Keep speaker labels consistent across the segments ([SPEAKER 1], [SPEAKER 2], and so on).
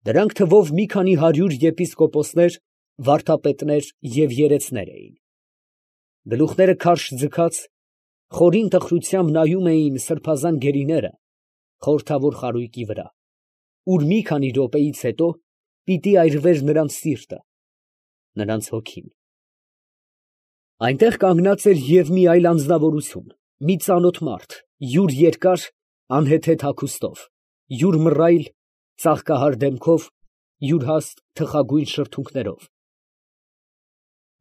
[SPEAKER 1] Դրանք թվով մի քանի 100 եպիսկոպոսներ, վարդապետներ և երեցներ էին։ Գլուխները քարշ ձգած, խորին տխրությամբ նայում էին սրբազան գերիները խորհրդավոր խարույկի վրա, ուր մի քանի րոպեից հետո պիտի այրվեր նրանց սիրտը, նրանց հոգին։ Այնտեղ կանգնած էր և մի այլ անձնավորություն, մի ծանոթ մարդ, յուր երկար, անհեթեթ հագուստով, յուր մռայլ, ծաղկահար դեմքով, յուր հաստ թխագույն շրթունքներով։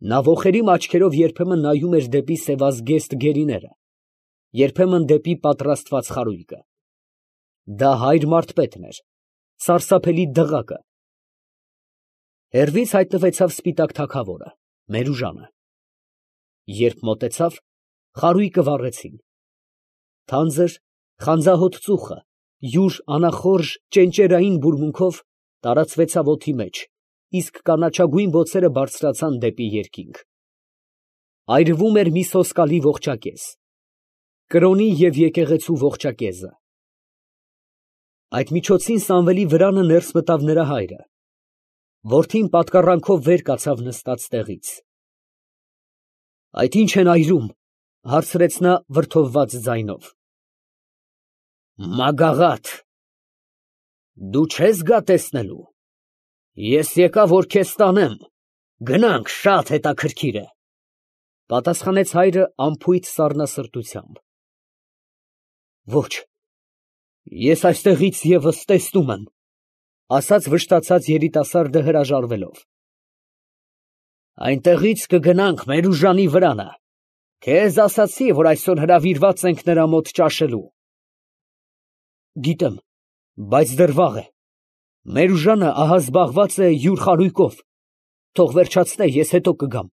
[SPEAKER 1] Նա ոխերիմ աչքերով երբեմն նայում էր դեպի սևազգեստ գերիները, երբեմն դեպի պատրաստված խարույկը։ Դա հայր մարդպետն էր, սարսափելի դղակը։ Հեռվից հայտնվեցավ սպիտակ թագավորը, Մերուժանը։ Երբ մոտեցավ, խարույկը վառեցին։ Թանձր, խանձահոտ ծուխը յուր անախորժ ճենճերային բուրմունքով տարածվեցավ օդի մեջ, իսկ կանաչագույն բոցերը բարձրացան դեպի երկինք։ Այրվում էր մի սոսկալի ողջակեզ, կրոնի և եկեղեցու ողջակեզը։ Այդ միջոցին Սամվելի վրանը ներս մտավ նրա հայրը։ Որդին պատկառանքով վեր կացավ նստած տեղից։ ֊ Այդ ի՞նչ են այրում, ֊ հարցրեց նա վրդովված ձայնով։ ֊ Մագաղա՜թ։ Դու չե՞ս գա տեսնելու։ Ես եկա, որ քեզ տանեմ, գնանք, շատ հետաքրքիր է, ֊ պատասխանեց հայրը անփույթ սառնասրտությամբ։ ֊ Ոչ, ես այստեղից ևս տեսնում եմ, ֊ ասաց վշտացած երիտասարդը հրաժարվելով։ ֊ Այնտեղից կգնանք Մերուժանի վրանը, քեզ ասացի, որ այսօր հրավիրված ենք նրա մոտ ճաշելու։ ֊ Գիտեմ, բայց դեռ վաղ է, Մերուժանը ահա զբաղված է յուր խարույկով, թող վերջացնե, ես հետո կգամ։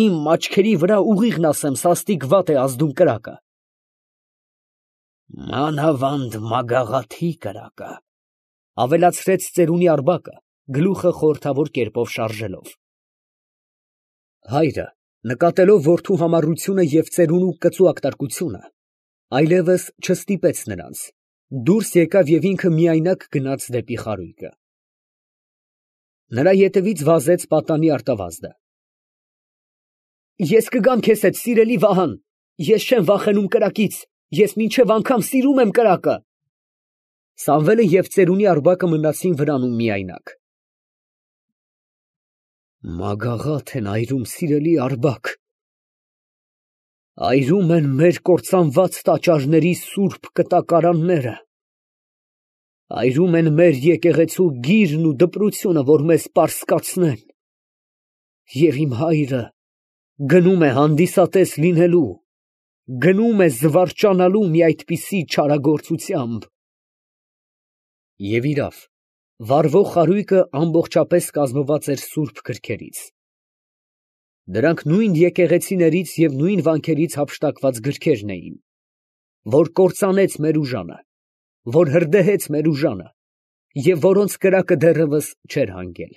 [SPEAKER 1] Իմ աչքերի վրա ուղիղն ասեմ, սաստիկ վատ է ազդում կրակը։ Մանավանդ Մագաղաթի կրակը, ֊ ավելացրեց ծերունի Արբակը, գլուխը խորհրդավոր կերպով շարժելով։ Հայրը, նկատելով որդու համառությունը և ծերունու կծու ակտարկությունը, այլևս չստիպեց նրանց, դուրս եկավ և ինքը միայնակ գնաց դեպի խարույկը։ Նրա ետևից վազեց պատանի արտավազդը։ Ես կգամ քեզ հետ, սիրելի Վահան, ես չեմ վախենում կրակից, ես մինչև անգամ սիրում եմ կրակը։ Սամվելը և ծերունի Արբակը մնացին վրանում միայնակ։ Մագաղա՜թ են այրում, սիրելի Արբակ, այրում են մեր կործանված տաճարների սուրբ կտակարանները, այրում են մեր եկեղեցու գիրն ու դպրությունը, որ մեզ պարսկացնեն, և իմ հայրը գնում է հանդիսատես լինելու, գնում է զվարճանալու մի այդպիսի չարագործությամբ։ Եվ իրավ, վառվող խարույկը ամբողջապես կազմված էր սուրբ գրքերից։ Դրանք նույն եկեղեցիներից և նույն վանքերից հափշտակված գրքերն էին, որ կործանեց Մերուժանը, որ հրդեհեց Մերուժանը և որոնց կրակը դեռևս չէր հանգել։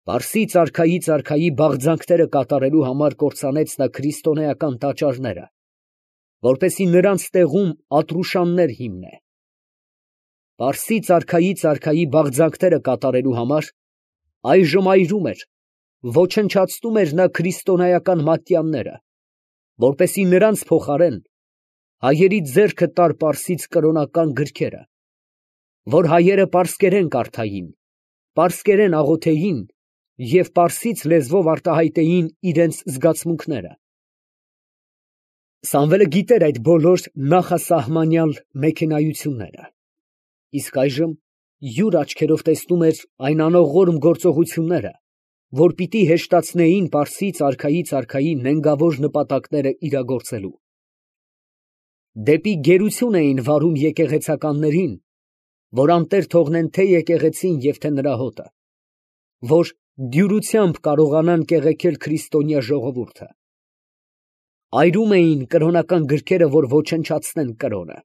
[SPEAKER 1] Պարսից արքայի բաղձանքները կատարելու համար կործանեց նա քրիստոնեական տաճարները, որպեսզի նրանց տեղում Ատրուշաններ հիմնե։ Պարսից արքայի բաղձանքները կատարելու համար այժմ այրում էր, ոչնչացնում էր նա քրիստոնեական մատյանները, որպեսզի նրանց փոխարեն հայերի ձեռքը տար պարսից կրոնական գրքերը, որ հայերը պարսկերեն կարդային, պարսկերեն աղոթեին և պարսից լեզվով արտահայտեին իրենց զգացմունքները։ Սամվելը գիտեր այդ բոլոր նախասահմանյալ մեքենայությունները, իսկ այժմ յուր աչքերով տեսնում էր այն անողորմ գործողությունները, որ պիտի հեշտացնեին պարսից արքայի նենգավոր նպատակները իրագործելու։ Դեպի գերություն էին վարում եկեղեցականներին, որ անտեր թողնեն թե եկեղեցին և թե նրա հոտը, որ դյուրությամբ կարողանան կեղեքել քրիստոնյա ժողովուրդը։ Այրում էին կրոնական գրքերը, որ ոչնչացնեն կրոնը։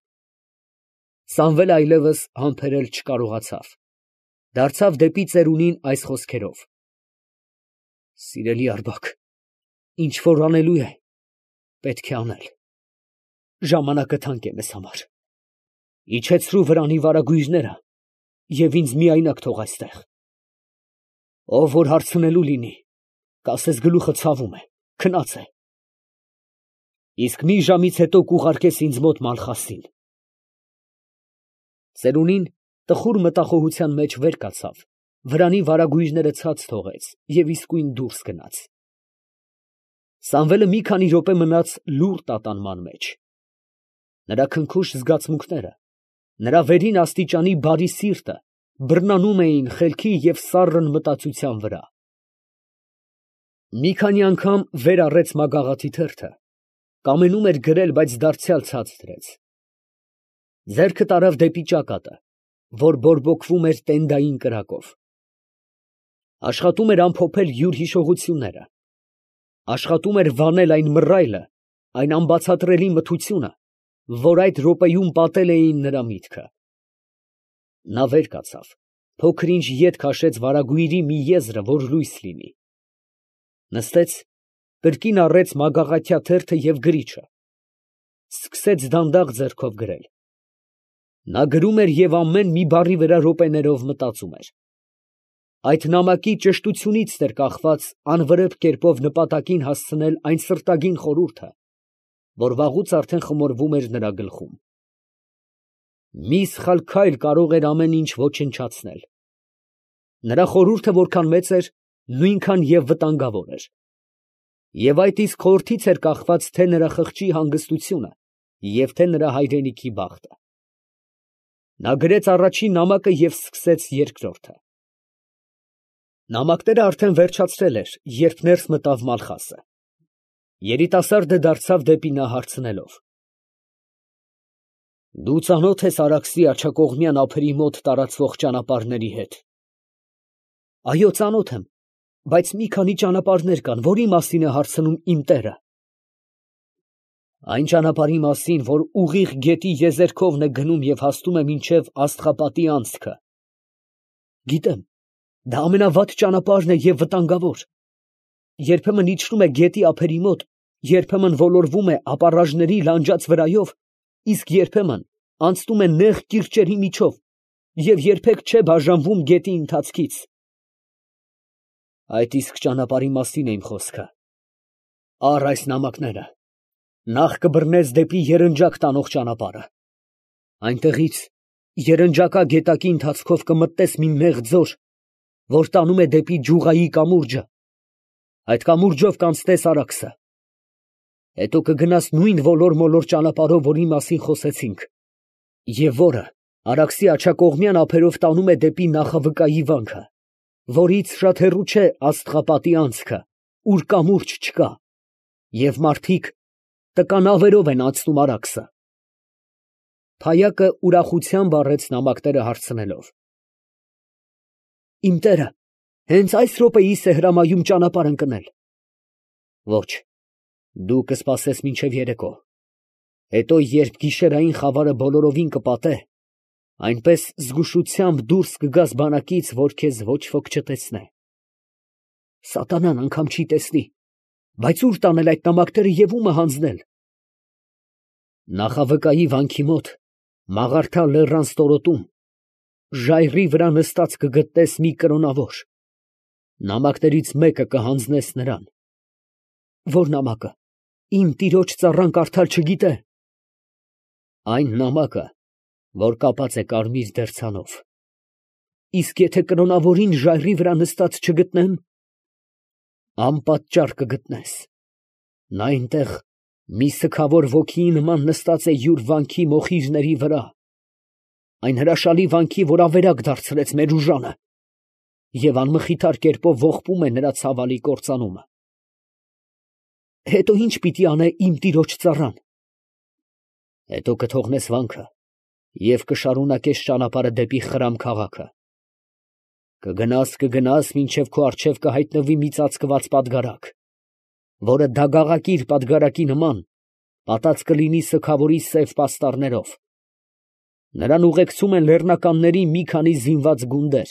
[SPEAKER 1] Սամվելը այլևս համբերել չկարողացավ, դարձավ դեպի ծերունին այս խոսքերով. Սիրելի Արբակ, ինչ որ անելու է, պետք է անել, ժամանակը թանկ է մեզ համար, իջեցրու վրանի վարագույրները և ինձ միայնակ թող այստեղ։ Ով որ հարցնելու լինի, կասես գլուխը ցավում է, քնած է։ Իսկ մի ժամից հետո կուղարկես ինձ մոտ Մալխասին։ Ծերունին տխուր մտախոհության մեջ վեր կացավ, վրանի վարագույրները ցած թողեց և իսկույն դուրս գնաց։ Սամվելը մի քանի րոպե մնաց լուռ տատանման մեջ։ Նրա քնքուշ զգացմունքները, նրա վերին աստիճանի բարի սիրտը բռնանում էին խելքի և սառն մտածության վրա։ Մի քանի անգամ վեր առեց մագաղաթի թերթը, կամենում էր գրել, բայց դարձյալ ցած դրեց։ Ձեռքը տարավ դեպի ճակատը, որ բորբոքվում էր տենդային կրակով։ Աշխատում էր ամփոփել յուր հիշողությունները, աշխատում էր վանել այն մռայլը, այն անբացատրելի մթությունը, որ այդ րոպեում պատել էին նրա միտքը։ Նա վեր կացավ, փոքր-ինչ ետ քաշեց վարագույրի մի եզրը, որ լույս լինի։ Նստեց, կրկին առեց մագաղաթյա թերթը և գրիչը, սկսեց դանդաղ ձեռքով գրել։ Նա գրում էր և ամեն մի բառի վրա րոպեներով մտածում էր։ Այդ նամակի ճշտությունից էր կախված անվրեպ կերպով նպատակին հասցնել այն սրտագին խորհուրդը, որ վաղուց արդեն խմորվում էր նրա գլխում։ Մի սխալ քայլ կարող էր ամեն ինչ ոչնչացնել։ Նրա խորհուրդը որքան մեծ էր, նույնքան և վտանգավոր էր։ Եվ այդ իսկ խորհրդից էր կախված թե նրա խղճի հանգստությունը և թե նրա հայրենիքի բախտը։ Նա գրեց առաջին նամակը և սկսեց երկրորդը։ Նամակները արդեն վերջացրել էր, երբ ներս մտավ Մալխասը։ Երիտասարդը դարձավ դեպի նա հարցնելով. Դու ծանո՞թ ես Արաքսի աջակողմյան ափերի մոտ տարածվող ճանապարհների հետ։ Այո, ծանոթ եմ, բայց մի քանի ճանապարհներ կան, որի մասին է հարցնում իմ տերը։ Այն ճանապարհի մասին, որ ուղիղ գետի եզերքովն է գնում և հասնում է մինչև Աստղապատի անցքը։ Գիտեմ, դա ամենավատ ճանապարհն է և վտանգավոր։ Երբեմն իջնում է գետի ափերի մոտ, երբեմն ոլորվում է ապառաժների լանջած վրայով, իսկ երբեմն անցնում է նեղ կիրճերի միջով և երբեք չէ բաժանվում գետի ընթացքից։ Այդ իսկ ճանապարհի մասին է իմ խոսքը։ Առ այս նամակները, նախ կբռնես դեպի Երնջակ տանող ճանապարհը։ Այնտեղից երնջակա գետակի ընթացքով կմտնես մի նեղ ձոր, որ տանում է դեպի Ջուղայի կամուրջը, այդ կամուրջով կանցնես Արաքսը։ Հետո կգնաս նույն ոլոր-մոլոր ճանապարհով, որի մասին խոսեցինք, և որը Արաքսի աջակողմյան ափերով տանում է դեպի Նախավկայի վանքը, որից շատ հեռու չէ Աստղապատի անցքը, ուր կամուրջ չկա, և մարդիկ տկա նավերով են անցնում Արաքսը։ Փայակը ուրախությամբ առեց նամակները հարցնելով. Իմ տերը հենց այս րոպեիս է հրամայում ճանապարհ ընկնել։ Ոչ, դու կսպասես մինչև երեկո, հետո երբ գիշերային խավարը բոլորովին կպատե, այնպես զգուշությամբ դուրս կգաս բանակից, որ քեզ ոչ ոք չտեսնե։ Սատանան անգամ չի տեսնի, բայց ո՞ւր տանել այդ նամակները և ո՞ւմը հանձնել։ Նախավկայի վանքի մոտ Մաղարդա լեռան ստորոտում ժայռի վրա նստած կգտնես մի կրոնավոր, նամակներից մեկը կհանձնես նրան։ Ո՞ր նամակը, իմ տիրոջ ծառան կարդալ չգիտե։ Այն նամակը, որ կապած է կարմիր դերձանով։ Իսկ եթե կրոնավորին ժայռի վրա նստած չգտնեմ, անպատճառ կգտնես։ Նա այնտեղ մի սգավոր ոգիի նման նստած է յուր վանքի մոխիրների վրա, այն հրաշալի վանքի, որ ավերակ դարձրեց մեր ուժանը, և անմխիթար կերպով ողբում է նրա ցավալի կործանումը։ Հետո ի՞նչ պիտի անե իմ տիրոջ ծառան։ Հետո կթողնես վանքը և կշարունակես ճանապարհը դեպի Խրամ քաղաքը։ Կգնաս, մինչև քո առջև կհայտնվի մի ծածկված պատգարակ, որը դագաղակիր պատգարակի նման պատած կլինի սգավորի սև պաստառներով։ Նրան ուղեկցում են լեռնականների մի քանի զինված գունդեր։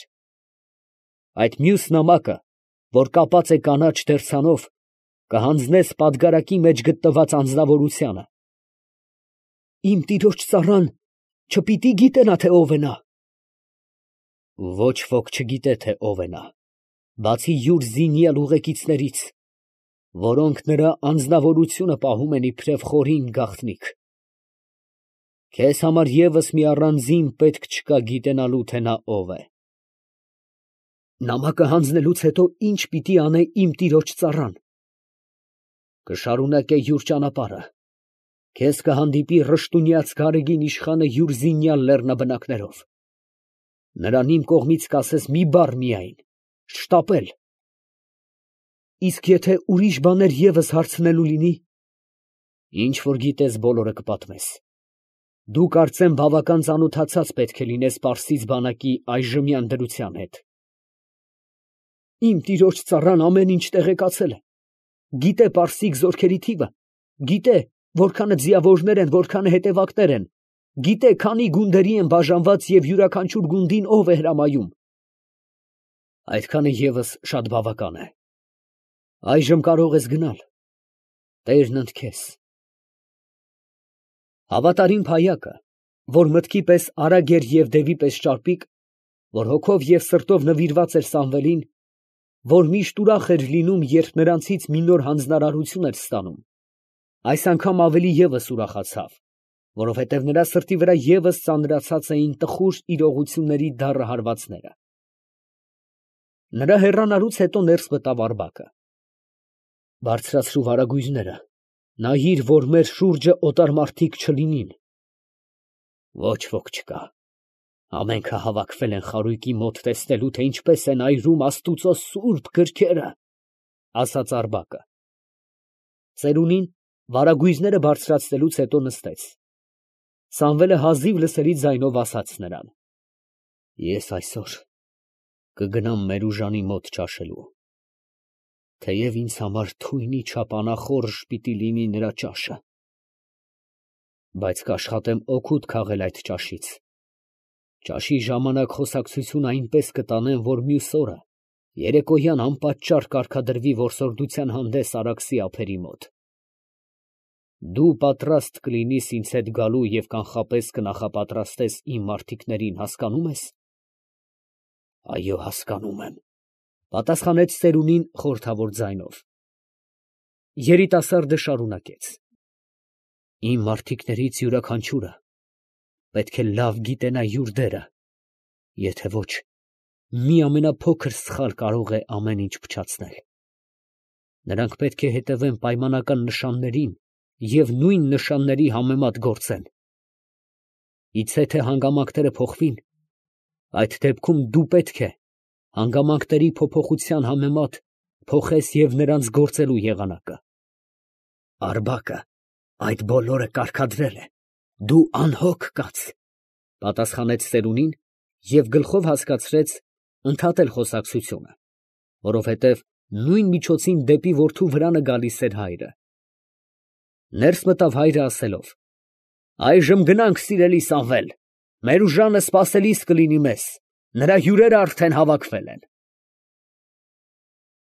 [SPEAKER 1] Այդ մյուս նամակը, որ կապած է կանաչ դերձանով, կհանձնես պատգարակի մեջ գտնված անձնավորությանը։ Իմ տիրոջ ծառան չպիտի գիտենա, թե ով է նա։ Ոչ ոք չգիտե, թե ով է նա, բացի յուր զինյալ ուղեկիցներից, որոնք նրա անձնավորությունը պահում են իբրև խորին գաղտնիք։ Քեզ համար ևս մի առանձին պետք չկա գիտենալու, թե նա ով է։ Նամակը հանձնելուց հետո ինչ պիտի անե իմ տիրոջ ծառան։ Կշարունակե յուր ճանապարհը, քեզ կհանդիպի Ռշտունյաց Գարեգին իշխանը յուր զինյալ լեռնաբնակներով։ Նրան իմ կողմից կասես մի բառ միայն. շտապել։ Իսկ եթե ուրիշ բաներ ևս հարցնելու լինի, ինչ որ գիտես բոլորը կպատմես։ Դու կարծեմ բավական ծանոթացած պետք է լինես Պարսից բանակի այժմյան դրության հետ։ Իմ տիրոջ ծառան ամեն ինչ տեղեկացել է։ Գիտե պարսիկ զորքերի թիվը, գիտե որքանը ձիավորներ են, որքանը հետևակներ են, գիտե քանի գունդերի են բաժանված և յուրաքանչյուր գունդին ով է հրամայում։ Այդքանը ևս շատ բավական է։ Այժմ կարող ես գնալ, Տերն ընդ քեզ։ Հավատարիմ փայակը, որ մտքի պես արագ էր և դևի պես ճարպիկ, որ հոգով և սրտով նվիրված էր Սամվելին, որ միշտ ուրախ էր լինում, երբ նրանցից մի նոր հանձնարարություն էր ստանում, այս անգամ ավելի ևս ուրախացավ, որովհետև նրա սրտի վրա ևս ծանրացած էին տխուր իրողությունների դառը հարվածները։ Նրա հեռանալուց հետո ներս մտավ Արտակը։ Բարձրացրու վարագույրները, նայիր, որ մեր շուրջը օտար մարդիկ չլինին։ Ոչ ոք չկա։ Ամենքը հավաքվել են խարույկի մոտ տեսնելու, թե ինչպես են այրում Աստուծո սուրբ գրքերը, ասաց Արտակը։ Ծերունին վարագույրները բարձրացնելուց հետո նստեց։ Սամվելը հազիվ լսելի ձայնով ասաց նրան. Ես այսօր կգնամ Մերուժանի մոտ ճաշելու, թեև ինձ համար թույնի չափ անախորժ պիտի լինի նրա ճաշը, բայց կաշխատեմ օգուտ քաղել այդ ճաշից։ Ճաշի ժամանակ խոսակցություն այնպես կտանեմ, որ մյուս օրը երեկոյան անպատճառ կարգադրվի որսորդության հանդես Արաքսի ափերի մոտ։ Դու պատրաստ կլինիս ինձ հետ գալու և կանխապես կնախապատրաստես իմ մարդիկներին, հասկանո՞ւմ ես։ Այո, հասկանում եմ, պատասխանեց ծերունին խորհրդավոր ձայնով։ Երիտասարդը շարունակեց. Իմ մարդիկներից յուրաքանչյուրը պետք է լավ գիտենա յուր դերը, եթե ոչ, մի ամենափոքր սխալ կարող է ամեն ինչ փչացնել։ Նրանք պետք է հետևեն պայմանական նշաններին և նույն նշանների համեմատ գործեն։ Իցե թե հանգամանքները փոխվին, այդ դեպքում դու պետք է հանգամանքների փոփոխության համեմատ փոխես և նրանց գործելու եղանակը։ Արտակը այդ բոլորը կարգադրել է, դու անհոգ կաց, պատասխանեց ծերունին և գլխով հասկացրեց ընդհատել խոսակցությունը, որովհետև նույն միջոցին դեպի որդու վրանը գալիս էր հայրը։ Ներս մտավ հայրը ասելով. Այժմ գնանք, սիրելի Սամվել, Մերուժանը սպասելիս կլինի մեզ, նրա հյուրերը արդեն հավաքվել են։